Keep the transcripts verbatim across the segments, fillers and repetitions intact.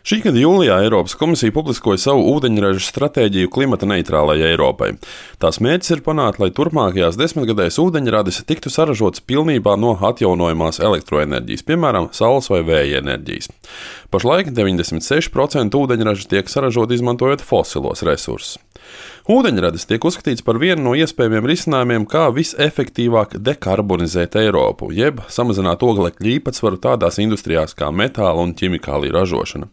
Šī gada jūlijā Eiropas komisija publiskoja savu ūdeņraža stratēģiju klimata neitrālajai Eiropai. Tās mērķis ir panākt, lai turpmākajās desmitgadēs ūdeņradis tiktu saražots pilnībā no atjaunojamās elektroenerģijas, piemēram, saules vai vēja enerģijas. Pašlaik deviņdesmit seši procenti ūdeņraža tiek saražot izmantojot fosilos resursus. Ūdeņradis tiek uzskatīts par vienu no iespējamiem risinājumiem, kā visefektīvāk dekarbonizēt Eiropu, jeb samazināt oglekļa īpatsvaru tādās industrijās kā metāla un ķimikālija ražošana.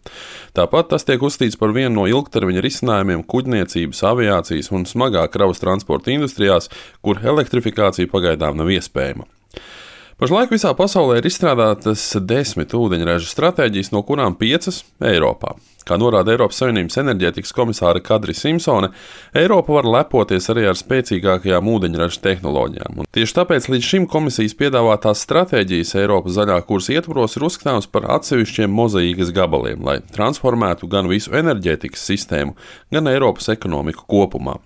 Tāpat tas tiek uzskatīts par vienu no ilgtermiņa risinājumiem kuģniecības, aviācijas un smagā kravas transporta industrijās, kur elektrifikācija pagaidām nav iespējama. Pašlaik visā pasaulē ir izstrādātas desmit ūdeņraža stratēģijas, no kurām piecas Eiropā. Kā norāda Eiropas Savienības enerģētikas komisāre Kadri Simpsone, Eiropa var lepoties arī ar spēcīgākajām ūdeņraža tehnoloģijām. Un tieši tāpēc līdz šim komisijas piedāvātās stratēģijas Eiropas zaļā kursa ietvaros ir uzskatāms par atsevišķiem mozaīkas gabaliem, lai transformētu gan visu enerģētikas sistēmu, gan Eiropas ekonomiku kopumā.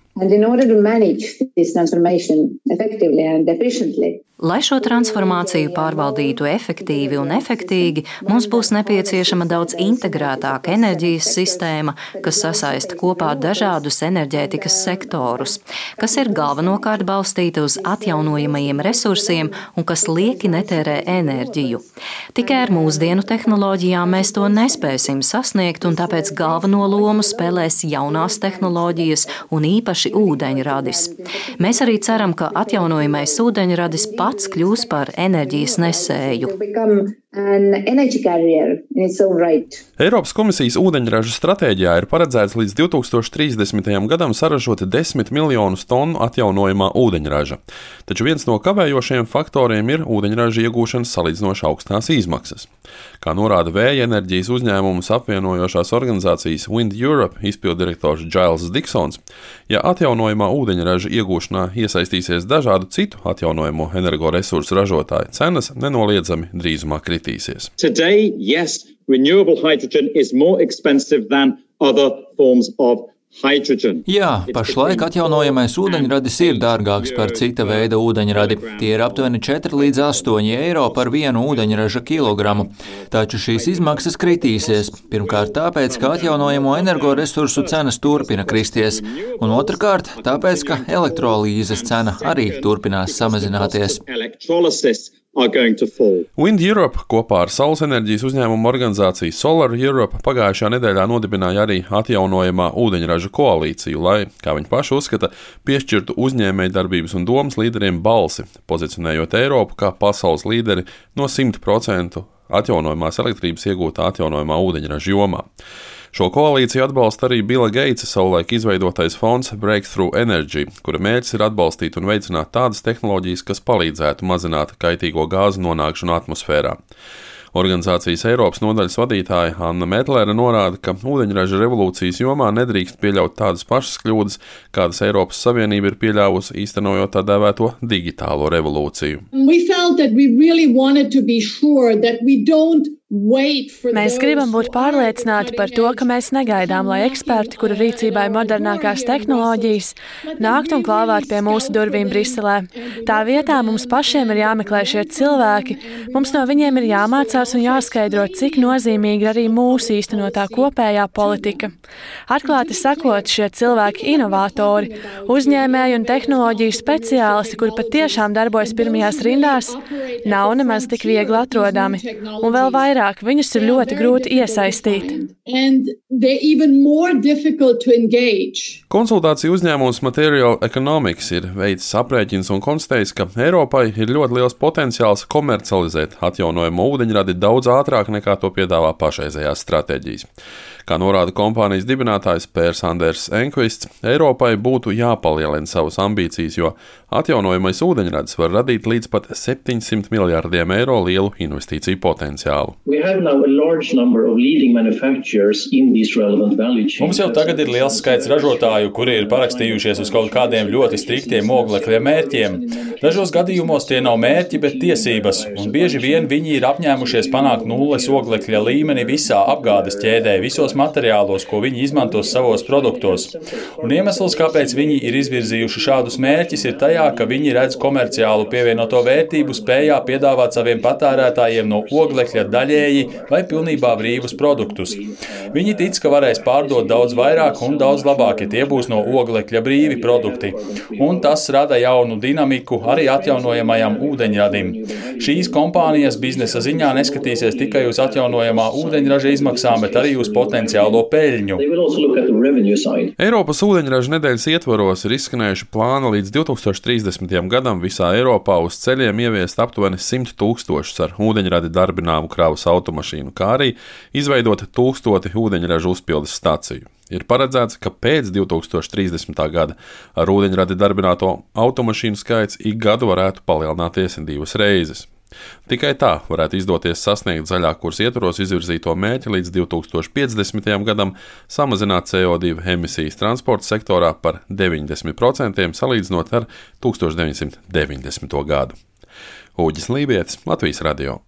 Lai šo transformāciju pārvaldītu efektīvi un efektīgi, mums būs nepieciešama daudz integrētāka enerģijas sistēma, kas sasaista kopā dažādus enerģētikas sektorus, kas ir galvenokārt balstīta uz atjaunojamajiem resursiem un kas lieki netērē enerģiju. Tikai ar mūsdienu tehnoloģijām mēs to nespēsim sasniegt, un tāpēc galveno lomu spēlēs jaunās tehnoloģijas un īpaši ūdeņradis. Mēs arī ceram, ka atjaunojamais ūdeņradis pats kļūs par enerģijas nesēju. Eiropas komisijas ūdeņraža stratēģijā ir paredzēts līdz divi tūkstoši trīsdesmitajam gadam saražot desmit miljonus tonu atjaunojamā ūdeņraža. Taču viens no kavējošajiem faktoriem ir ūdeņraža iegūšanas salīdzinoši augstās izmaksas. Kā norāda vēja enerģijas uzņēmumus apvienojošās organizācijas Wind Europe izpilddirektors Giles Diksons, ja atjaunojamā ūdeņraža iegūšanā iesaistīsies dažādu citu atjaunojamo energoresursu ražotāju, cenas nenoliedzami drīzumā kritīsies. Today, yes, renewable hydrogen is more expensive than other forms of hydrogen. Jā, pašlaik atjaunojamais ūdeņradis ir dārgāks par cita veida ūdeņradi. Tie ir aptuveni četri līdz astoņi eiro par vienu ūdeņraža kilogramu. Taču šīs izmaksas kritīsies. Pirmkārt tāpēc, ka atjaunojamo energoresursu cenas turpina kristies. Un otrkārt tāpēc, ka elektrolīzes cena arī turpinās samazināties. Wind Europe kopā ar saules enerģijas uzņēmumu organizāciju Solar Europe pagājušajā nedēļā nodibināja arī atjaunojamā ūdeņraža koalīciju, lai, kā viņi paši uzskata, piešķirtu uzņēmējdarbības un domas līderiem balsi, pozicionējot Eiropu kā pasaules līderi no simt procentu atjaunojamās elektrības iegūtā atjaunojamā ūdeņraža jomā. Šo koalīciju atbalsta arī Bila Geitsa savulaik izveidotais fonds Breakthrough Energy, kura mērķis ir atbalstīt un veicināt tādas tehnoloģijas, kas palīdzētu mazināt kaitīgo gāzu nonākšanu atmosfērā. Organizācijas Eiropas nodaļas vadītāja Anna Metlere norāda, ka ūdeņraža revolūcijas jomā nedrīkst pieļaut tādas pašas kļūdas, kādas Eiropas Savienība ir pieļāvusi īstenojot tā dēvēto digitālo revolūciju. Mēs gribam būt pārliecināti par to, ka mēs negaidām, lai eksperti, kuru rīcībā ir modernākās tehnoloģijas, nāktu un klāvētu pie mūsu durvīm Briselē. Tā vietā mums pašiem ir jāmeklē šie cilvēki, mums no viņiem ir jāmācās un jāskaidro, cik nozīmīga arī mūsu īstenotā kopējā politika. Atklāti sakot, šie cilvēki inovatori, uzņēmēji un tehnoloģiju speciālisti, kuri patiešām darbojas pirmajās rindās, nav nemaz tik viegli atrodami. Un vēl vairāk viņus ir ļoti grūti iesaistīt. Konsultāciju uzņēmums Material Economics ir veicis aprēķins un konstatējis, ka Eiropai ir ļoti liels potenciāls komercializēt atjaunojamo ūdeņradi daudz ātrāk nekā to piedāvā pašreizējās stratēģijas. Kā norāda kompānijas dibinātājs Pērs Anders Enkvists, Eiropai būtu jāpalielina savas ambīcijas, jo atjaunojamais ūdeņradis var radīt līdz pat septiņsimt miljardiem eiro lielu investīciju potenciālu. Mums jau tagad ir liels skaits ražotāju, kuri ir parakstījušies uz kaut kādiem ļoti striktiem oglekļa mērķiem. Dažos gadījumos tie nav mērķi, bet tiesības, un bieži vien viņi ir apņēmušies panākt nulles oglekļa līmeni visā apgādes ķēdē, visos materiālos, ko viņi izmantos savos produktos. Un iemesls, kāpēc viņi ir izvirzījuši šādus mērķus, ir tajā, ka viņi redz komerciālu pievienoto vērtību spējā piedāvāt saviem patērētājiem no oglekļa daļēji vai pilnībā brīvus produktus. Viņi tic, ka varēs pārdot daudz vairāk un daudz labāk, ja tie būs no oglekļa brīvi produkti. Un tas rada jaunu dinamiku arī atjaunojamajam ūdeņradim. Šīs kompānijas biznesa ziņā neskatīsies tikai uz atjaunojamā ūdeņraža izmaksām, bet arī uz potenciālo peļņu. Eiropas ūdeņraža nedēļas ietvaros ir izskanējuši plāni līdz divtūkstoš trīsdesmitajam gadam visā Eiropā uz ceļiem ieviest aptuveni simt tūkstošus ar ūdeņradi darbināmu kravas automašīnu, kā arī izveidot tūkstoti ūdeņraža uzpildes staciju. Ir paredzēts, ka pēc divtūkstoš trīsdesmitā gada ar ūdeņradi darbināto automašīnu skaits ik gadu varētu palielināties divas reizes. Tikai tā varētu izdoties sasniegt zaļā kursa ietvaros izvirzīto mērķi līdz divtūkstoš piecdesmitajam gadam samazināt C O divi emisijas transporta sektorā par deviņdesmit procentiem salīdzinot ar tūkstoš deviņsimt deviņdesmito gadu. Uģis Lībietis, Latvijas radio.